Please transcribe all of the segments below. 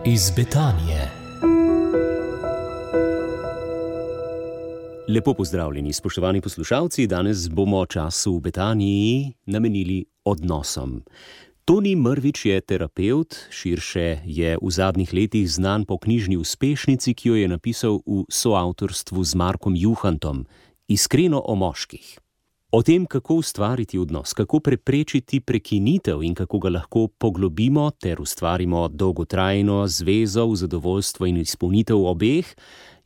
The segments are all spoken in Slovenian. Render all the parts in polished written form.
iz Betanije. Lepo pozdravljeni, spoštovani poslušalci. Danes bomo čas v Betaniji namenili odnosom. Toni Mrvič je terapevt, širše je v zadnjih letih znan po knjižni uspešnici, ki jo je napisal v soavtorstvu z Markom Juhantom, Iskreno o moških. O tem, kako ustvariti odnos, kako preprečiti prekinitev in kako ga lahko poglobimo ter ustvarimo dolgotrajno zvezo v zadovoljstvo in izpolnitev obeh,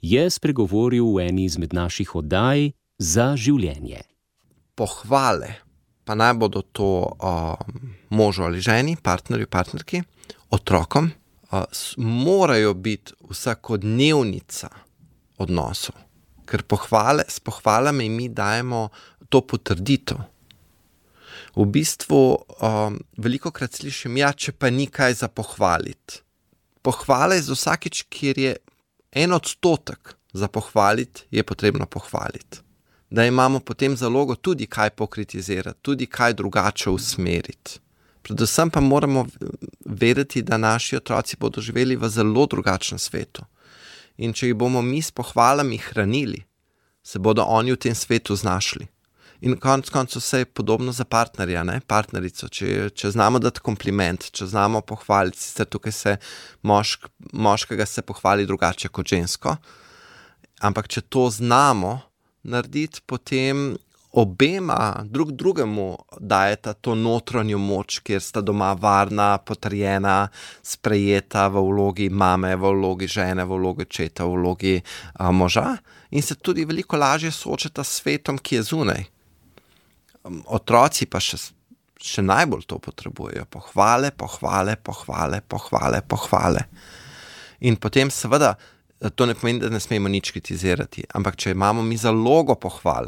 je spregovoril v eni izmed naših oddaj Za življenje. Pohvale, pa naj bodo to možu ali ženi, partnerju, partnerki, otrokom, morajo biti vsakodnevnica odnosov. Ker s pohvalami mi dajemo to potrditev. V bistvu velikokrat slišim, če pa ni kaj za pohvaliti. Pohvala je za vsakič, kjer je 1% za pohvaliti, je potrebno pohvaliti. Da imamo potem zalogo tudi kaj pokritizirati, tudi kaj drugače usmeriti. Predvsem pa moramo vedeti, da naši otroci bodo živeli v zelo drugačnem svetu. In če jih bomo mi s pohvalami hranili, se bodo oni v tem svetu znašli. In konec koncev vse je podobno za partnerja, partnerico. Če znamo dati kompliment, če znamo pohvaliti, sicer tukaj se moškega se pohvali drugače kot žensko, ampak če to znamo narediti, potem obema drugemu dajeta to notranjo moč, kjer sta doma varna, potrjena, sprejeta v vlogi mame, v vlogi žene, v vlogi očeta, v vlogi moža in se tudi veliko lažje soočata s svetom, ki je zunaj. Otroci pa še najbolj to potrebujejo. Pohvale. In potem seveda, to ne pomeni, da ne smemo nič kritizirati, ampak če imamo mi zalogo pohval,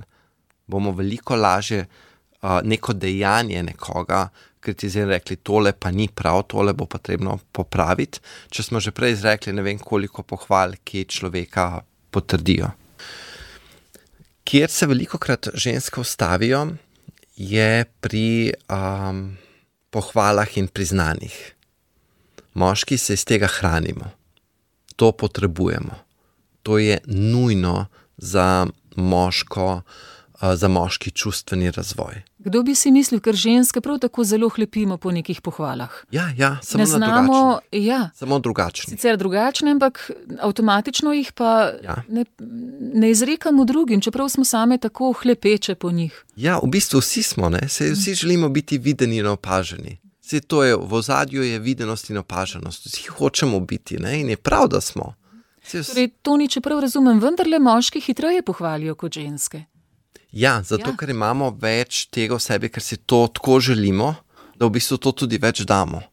bomo veliko lažje neko dejanje nekoga kritizirali, rekli, tole pa ni prav, tole bo potrebno popraviti. Če smo že prej izrekli, ne vem koliko pohval, ki človeka potrdijo. Kjer se velikokrat ženske ustavijo, je pri pohvalah in priznanjih. Moški se iz tega hranimo. To potrebujemo. To je nujno za moški čustveni razvoj. Kdo bi si mislil, ker ženske prav tako zelo hlepimo po nekih pohvalah? Ja, samo na drugačne. Ja. Samo drugačne. Sicer drugačne, ampak avtomatično jih pa ne izrekamo drugim, čeprav smo same tako hlepeče po njih. Ja, v bistvu vsi smo, vsi želimo biti videni in opaženi. To je, v ozadju je videnost in opaženost. Vsi hočemo biti, in je prav, da smo. Torej, Toni, čeprav razumem, vendarle moški hitreje pohvalijo kot ženske. Ja, zato ker imamo več tega v sebi, ker si to tako želimo, da v bistvu to tudi več damo.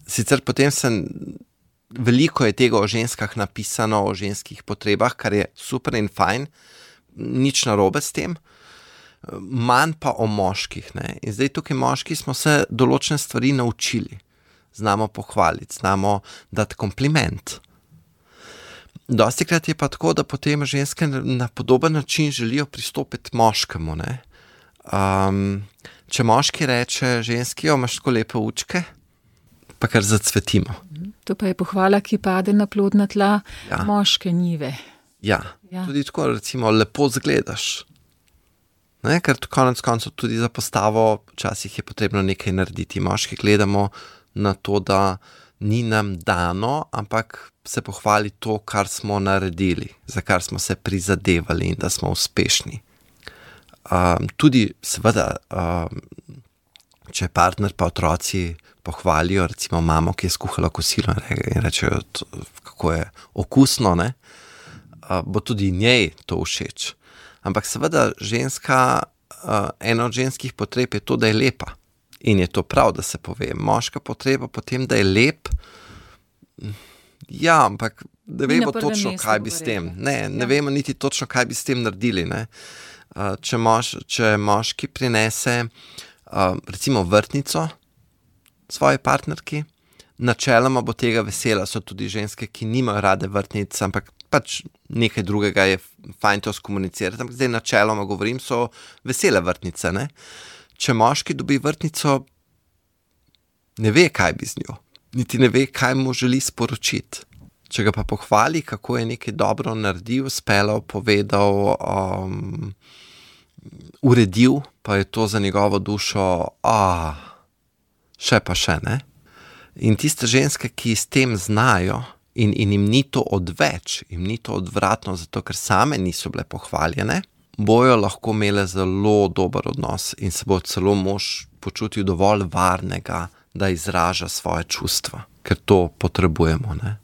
Sicer potem veliko je tega o ženskah napisano, o ženskih potrebah, kar je super in fajn, nič narobe s tem, manj pa o moških. In zdaj tukaj moški smo se določene stvari naučili. Znamo pohvaliti, znamo dati kompliment. Dostikrat je pa tako, da potem ženske na podoben način želijo pristopiti moškemu. Če moški reče ženski, imaš tako lepe učke, pa kar zacvetimo. To pa je pohvala, ki pade na plodna tla moške njive. Ja, tudi tako recimo lepo zgledaš. Ker konec koncev tudi za postavo včasih je potrebno nekaj narediti. Moški gledamo na to, da ni nam dano, ampak se pohvali to, kar smo naredili, za kar smo se prizadevali in da smo uspešni. Tudi seveda, če partner pa otroci pohvalijo, recimo mamo, ki je skuhala kosilo in rečejo, kako je okusno, bo tudi njej to všeč. Ampak seveda ena od ženskih potreb je to, da je lepa. In je to prav, da se pove. Moška potreba potem, da je lep, ampak ne vemo točno, kaj bi s tem. Ne vemo niti točno, kaj bi s tem naredili. Če moški prinese recimo vrtnico svoji partnerki, načeloma bo tega vesela. So tudi ženske, ki nimajo rade vrtnic, ampak pač nekaj drugega je fajn to skomunicirati. Ampak zdaj načeloma govorim, so vesele vrtnice. Če moški dobi vrtnico, ne ve, kaj bi z njo. niti ne ve, kaj mu želi sporočiti. Če ga pa pohvali, kako je nekaj dobro naredil, speljal, povedal, uredil, pa je to za njegovo dušo, še pa še, ne? In tiste ženske, ki s tem znajo in jim ni to odveč, jim ni to odvratno, zato ker same niso bile pohvaljene, bojo lahko imele zelo dober odnos in se bo celo mož počutil dovolj varnega, da izraža svoje čustva, ker to potrebujemo, ne?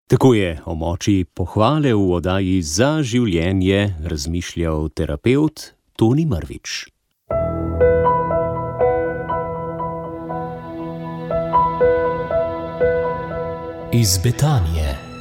Tako je o moči pohvale v oddaji Za življenje razmišljal terapevt Toni Mrvič. Iz Betanije.